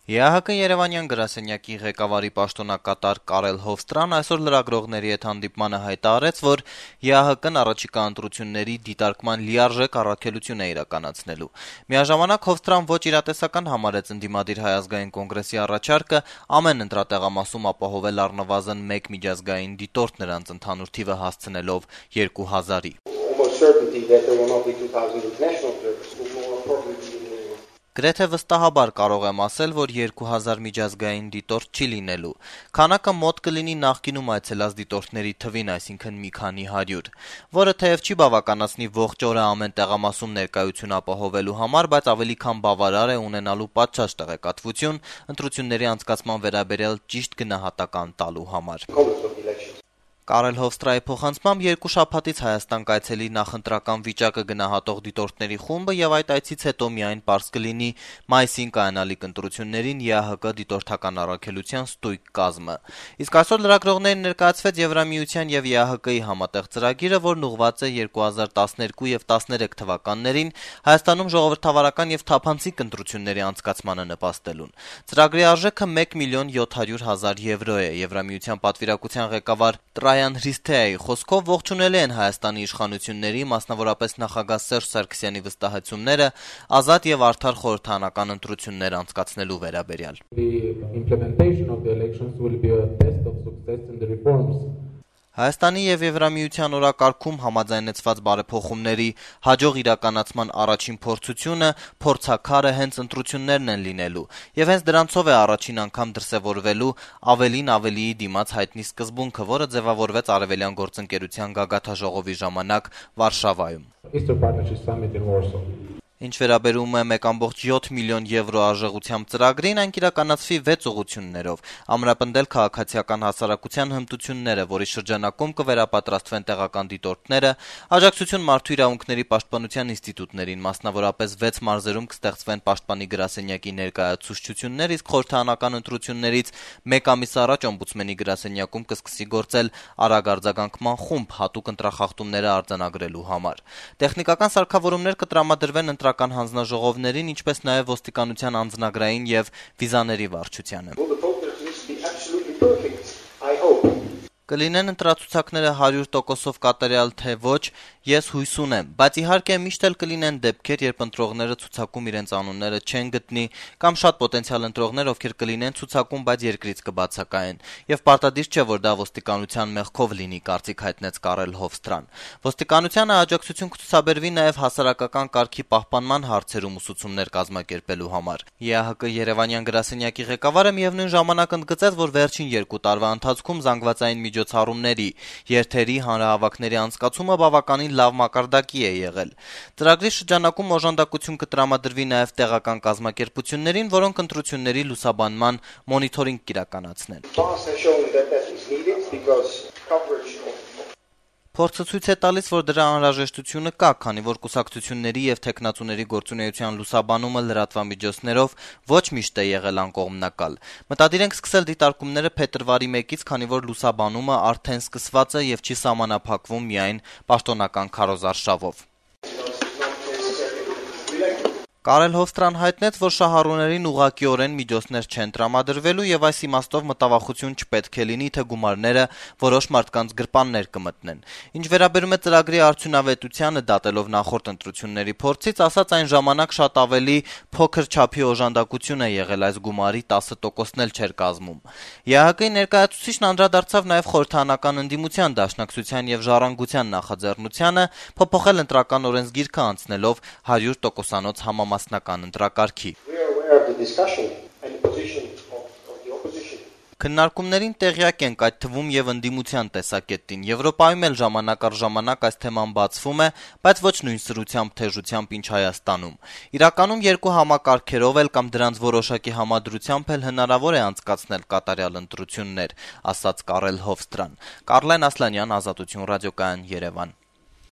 ԵԱՀԿ Երևանյան գրասենյակի ղեկավարի պաշտոնակատար Կարել Հովստրան այսօր լրագրողների հետ հանդիպմանը հայտարարեց, որ ԵԱՀԿ-ն առաջիկա ընտրությունների դիտարկման լիարժեք առաքելություն է իրականացնելու։ Միաժամանակ Հովստրան ոչ իրատեսական համարեց ընդդիմադիր Հայ ազգային կոնգրեսի առաջարկը ամեն ընտրատեղամասում ապահովել առնվազն 1 միջազգային դիտորդ, նրանց ընդհանուր թիվը հասցնելով 2000-ի։ Գրեթե վստահաբար կարող եմ ասել, որ 2000 միջազգային դիտորդ չի լինելու։ Քանակը մոտ կլինի նախկինում այցելած դիտորդների թվին, այսինքն մի քանի 100, որը թեև չի բավականացնի ողջ օրը ամեն տեղամասում ներկայություն ապահովելու համար, բայց ավելի քան բավարար է ունենալու պատշաճ տեղեկատվություն ընտրությունների անցկացման վերաբերյալ ճիշտ գնահատական տալու համար։ Կարել Հովստրայի փոխանցմամբ 2 շաբաթից Հայաստան կայցելի նախընտրական վիճակը գնահատող դիտորդների խումբը եւ այդ այցից հետո միայն պարզ կլինի մայիսին կայանալիք ընտրություններին ԵԱՀԿ դիտորդական առաքելության ստույգ կազմը։ Իսկ այսօր լրագրողներին ներկայացվեց Եվրամիության եւ ԵԱՀԿ-ի համատեղ ծրագիրը, որն ուղղված է 2012 եւ 13 թվականներին Հայաստանում ժողովրդավարական եւ թափանցիկ ընտրությունների անցկացմանը նպաստելուն։ Ծրագրի արժեքը 1,700,000 եվրո է։ Եվրամիության պատվիրակության ղեկավար Տրայան Հրիսթեայի խոսքով ողջունել են Հայաստանի իշխանությունների, մասնավորապես նախագահ Սերժ Սարգսյանի վստահեցումները ազատ եւ արդար խորհրդարանական ընտրություններ անցկացնելու վերաբերյալ։ Հայաստանի եւ Եվրամիության օրակարգում համաձայնեցված բարեփոխումների հաջող իրականացման առաջին փորձությունը, փորձաքարը հենց ընտրություններն են լինելու, եւ հենց դրանցով է առաջին անգամ դրսեւորվելու ավելին ավելիի դիմաց հայտնի սկզբունքը, որը ձևավորվեց Արևելյան գործընկերության գագաթաժողովի ժամանակ Վարշավայում։ Ինչ վերաբերում է 1,7 միլիոն եվրո արժողությամբ ծրագրին, այն կիրականացվի 6 ուղղություններով՝ ամրապնդել քաղաքացիական հասարակության հմտությունները, որի շրջանակում կվերապատրաստվեն տեղական դիտորդները, աջակցություն մարդու իրավունքների պաշտպանության ինստիտուտներին, մասնավորապես 6 մարզերում կստեղծվեն պաշտպանի գրասենյակի ներկայացուցչություններ, իսկ խորհրդարանական ընտրություններից 1 ամիս առաջ օմբուդսմենի գրասենյակում կսկսի գործել արագ արձագանքման խումբ հատուկ ընտրախախտումները արձանագրելու համար։ Տեխնիկական սարքավորումներ կտրամադրվեն ընտրական հանձնաժողովներին, ինչպես նաև ոստիկանության անձնագրային եւ վիզաների վարչությանը։ Կլինեն ընտրացուցակները 100%-ով կատարյալ թե ոչ, ես հույս ունեմ, բայց իհարկե միշտ էլ կլինեն դեպքեր, երբ ընտրողները ցուցակում իրենց անունները չեն գտնի, կամ շատ պոտենցիալ ընտրողներ, ովքեր կլինեն ցուցակում, բայց երկրից կբացակայեն, եւ պարտադիր չէ, որ դա ոստիկանության մեղքով լինի, կարծիք հայտնեց Կարել Հովստրան։ Ոստիկանությանը աջակցություն կցուցաբերվի նաև հասարակական կարգի պահպանման հարցերում ուսուցումներ կազմակերպելու համար։ ԵԱՀԿ Երևանյան գրասենյակի ղեկավարը միևնույն ժամանակ ընդգծեց, որ վերջին 2 տարվա ընթացքում զանգվածային միջոցառումների, երթերի, հանրահավաքների անցկացումը բավականին լավ մակարդակի է եղել։ Ծրագրի շրջանակում օժանդակություն կտրամադրվի նաև տեղական կազմակերպություններին, որոնք ընտրությունների լուսաբանման մոնիթորինգ կիրականացնեն։ Փորձը ցույց է տալիս, որ դրա անհրաժեշտությունը կա, քանի որ կուսակցությունների եւ թեկնածուների գործունեության լուսաբանումը լրատվամիջոցներով ոչ միշտ է եղել անկողմնակալ։ Մտադիր ենք սկսել դիտարկումները փետրվարի 1-ից, քանի որ լուսաբանումը արդեն սկսված է եւ չի սահմանափակվում միայն պաշտոնական քարոզարշավով։ Կարել Հովստրան հայտնեց, որ շահառուներին ուղղակիորեն միջոցներ չեն տրամադրվելու եւ այս իմաստով մտավախություն չպետք է լինի, թե գումարները որոշ մարդկանց գրպաններ կմտնեն։ Ինչ վերաբերում է ծրագրի արդյունավետությանը, դատելով նախորդ ընտրությունների փորձից, ասած այն ժամանակ շատ ավելի փոքր չափի օժանդակություն է եղել, այս գումարի 10%-ն էլ չէր կազմում։ ԵԱՀԿ-ի ներկայացուցիչն անդրադարձավ նաեւ խորհրդարանական ընդդիմության դաշնակցության եւ ժառանգության նախաձեռնությանը փոփոխել ընտրական օրենսգիրքը անցնելով 100%-անոց համամասնական ընտրակարգի։ Քննարկումներին տեղյակ ենք, այդ թվում եւ ընդդիմության տեսակետին։ Եվրոպայում էլ ժամանակ առ ժամանակ այս թեման բացվում է, բայց ոչ նույն սրությամբ, թեժությամբ, ինչ Հայաստանում։ Իրականում երկու համակարգերով էլ կամ դրանց որոշակի համադրությամբ էլ հնարավոր է անցկացնել կատարյալ ընտրություններ, ասաց Կարել Հովստրան։ Կարլեն Ասլանյան, Ազատություն ռադիոկայան, Երևան։